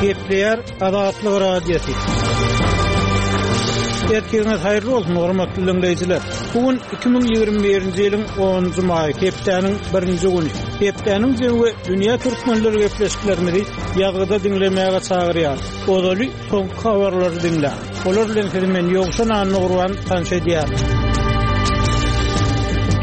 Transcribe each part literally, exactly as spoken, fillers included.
Gepleýär Azatlyk Radiosy. Erkegiňiz haýyrly bolsun, hormatly dinleýjiler. Bu gün iki müň ýigrimi birinji ýylyň onunjy maýy, hepdäniň birinji güni. Hepdäniň jemi we dünýä türkmenleri gepleşiklerimizi ýazgyda diňlemäge çagyrýar. Ozaly soňky habarlary diňle. Olar bilen sizi men Ýowşan Annagurban tanyş edýär.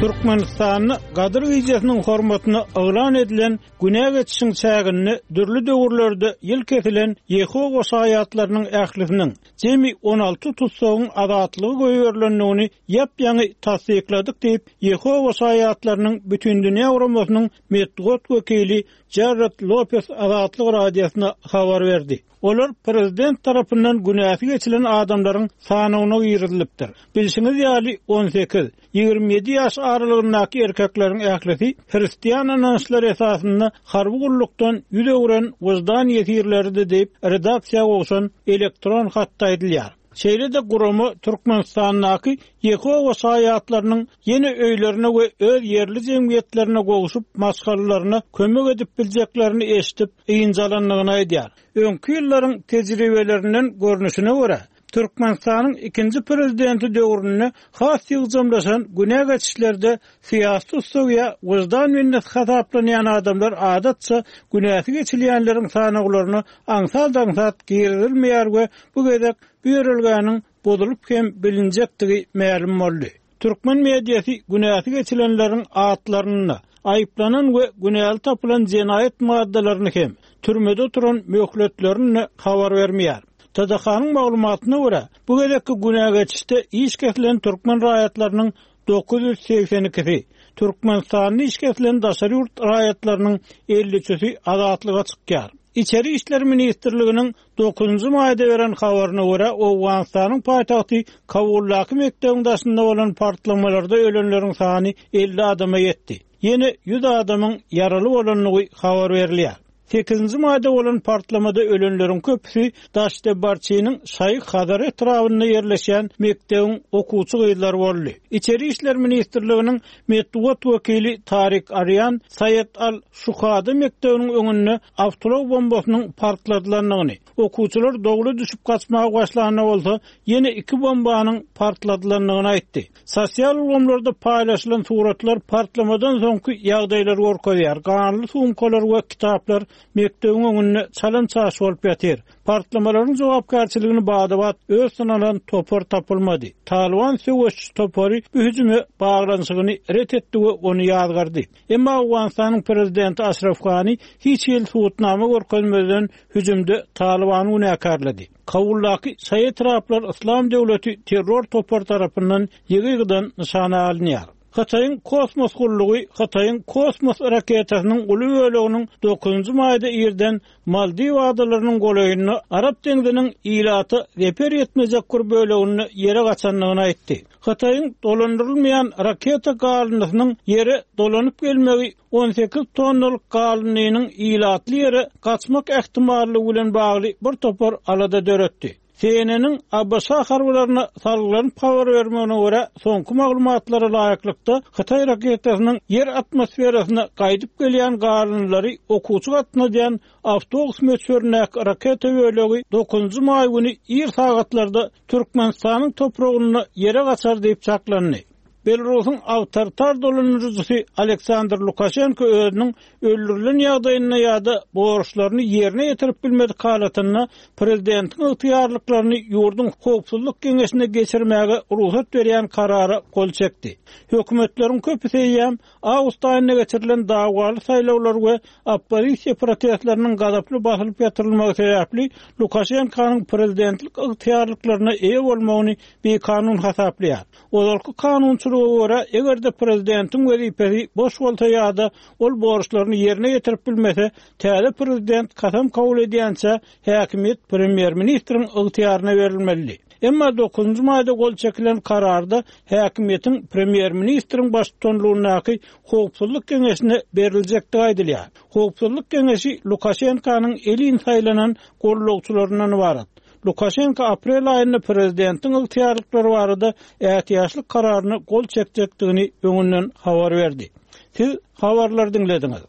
Türkmenistanda Gadyr gijesiniň hormatyna yglan edilen günä geçişiň çäginde dürli döwürlerde ýyl kesilen Ýehowa şaýatlarynyň ählisiniň jemi on alty tutsagyň azatlygy goýberilendigini ýap-ýaňy tassykladyk diýip, Ýehowa şaýatlarynyň Bütindünýä Guramasynyň metbugat wekili Jared Lopez Azatlyk Radiosyna habar berdi. Olar prezident tarapyndan günäsi geçilen adamlaryň sanyna girizilipdir. Bilşiňiz ýaly on sekiz, ýigrimi ýedi ýaş aralygyndaky erkekleriň ählisi hristian ynançlary esasynda harby gullukdan ýüz öwren wyždan ýesirleridi diýip redaksiýa gowşan elektron hatda aýdylýar. Şeýle-de gurama Türkmenistandaky Ýehowa şaýatlarynyň ýene öýlerine we öz ýerli jemgyýetlerine gowşup maşgalalaryna kömek edip biljeklerini eşidip ynjalandygyny aýdýar. Öňki ýyllaryň tejribelerinden görnüşine görä, Türkmenistanyň ikinji prezidenti döwründe has ýygjamlaşan günä geçişlerde syýasy tutsagy ýa wyždan minneti hasaplanýan adamlar adatça günäsi geçilýänleriň sanawlaryna aňsat-aňsat girizilmeýär we bu gezek bu ýörelgäniň bozulyp hem bilinjekdigi mälim boldy. Türkmen mediasy günäsi geçilenleriň atlaryny, aýyplanan we günäli tapylan jenaýat maddalaryny hem türmede oturan möhletlerini habar bermeýär. T D K-nyň maglumatyna görä, bu gezekki günä geçişde iş kesilen türkmen raýatlarynyň dokuz ýüz segsen ikisi, Türkmenistanda iş kesilen daşary ýurt raýatlarynyň elli üçüsi azatlyga çykýar. İçeri İşler Ministrliginiň dokuzunjy maýda beren habaryna görä, Owganystanyň paýtagty Kabuldaky mekdebiň daşynda bolan partlamalarda ölenleriň sany elli adama ýetdi. Ýene ýüz adamyň ýaraly bolandygy habar berilýär. Sekizinji maýda bolan partlamada ölenleriň köpüsi Daşdebarçynyň Şaýy Hazar etrabynda ýerleşen mekdebiň okuwçy gyzlary boldy. İçeri İşler Ministrliginiň metbugat wekili Tarik Aryan Saýet Al Şuhada mekdebiniň öňünde awtoulag bombasynyň partladylandygyny, okuwçylar dogry düşüp gaçmaga başlanda bolsa ýene iki bombanyň partladylandygyny aýtdy. Sosial ulgamlarda paýlaşylan suratlar partlamadan soňky ýagdaýlary görkezýär. Ganly sumkalar we kitaplar mekdebiň öňünde çalan çaş bolup ýatyr. Partlamalaryň jogapkärçiligini badabat öz synalan topar tapylmady. Taliban söweşçi topary bu hüjüme baglanyşygyny ret etdi we ony ýazgardy. Emma Owganystanyň prezidenti Aşraf Gani hiç hili subutnama görkezmeden hüjümde Talibany günäkärledi. Kabuldaky şaýy etraplar Islam döwleti terror topar tarapyndan ýygy-ýygydan nyşana alynýar. Hytaýyň kosmos gullugy Hytaýyň kosmos raketasynyň uly böleginiň dokuzunjy maýda irden Maldiw adalarynyň golaýynda Arap deňziniň ilata zeper ýetmejek bir böleginde ýere gaçandygyny aýtdy. Hytaýyň dolandyrylmaýan raketa galyndysynyň ýere dolanyp gelmegi on sekiz tonnalyk galyndynyň ilatly ýere gaçmak ähtimallygy bilen bagly bir topar alada döretdi. C N N-iň A B Ş harbylaryna salgylanyp habar bermegine görä, soňky maglumatlara laýyklykda Hytaý raketasynyň ýer atmosferasyna gaýdyp gelýän galyndylary okuwçy gatnadýan awtobus möçberindäki raketa bölegi dokuzunjy maý güni ir sagatlarda Türkmenistanyň topragynda ýere gaçar diýip çaklandy. Belarusyň awtoritar dolandyryjysy Aleksandr Lukaşenko özüniň öldürilen ýagdaýynda ýa-da borçlaryny ýerine ýetirip bilmedik halatynda prezidentiň ygtyýarlyklaryny ýurduň howpsuzlyk geňeşine geçirmäge rugsat berýän karara gol çekdi. Hökümetleriň köpüsi eýýäm awgust aýynda geçirilen dawwaly saýlawlar we oppozisiýa protestleriniň gazaply basylyp ýatyrylmagy sebäpli Lukaşenkonyň prezidentlik ygtyýarlyklaryna eýe bolmagyny bikanun hasaplaýar. Ozalky kanunçylyga görä, eger-de prezidentiň wezipesi boş bolsa ýa-da ol borçlaryny ýerine ýetirip bilmese, täze prezident kasam kabul edýänçä häkimiýet premýer-ministriň ygtyýaryna berilmeli. Emma dokuzunjy maýda gol çekilen kararda häkimiýetiň premýer-ministriň baştutanlygyndaky howpsuzlyk geňeşine beriljekdigi aýdylýar. Howpsuzlyk geňeşi Lukaşenkonyň elin saýlanan gollagçylaryndan ibarat. Lukaşenko aprel aýynda prezidentiň ygtyýarlyklary barada ätiýaçlyk kararyna gol çekjekdigini öňünden habar berdi. Siz habarlar diňlediňiz.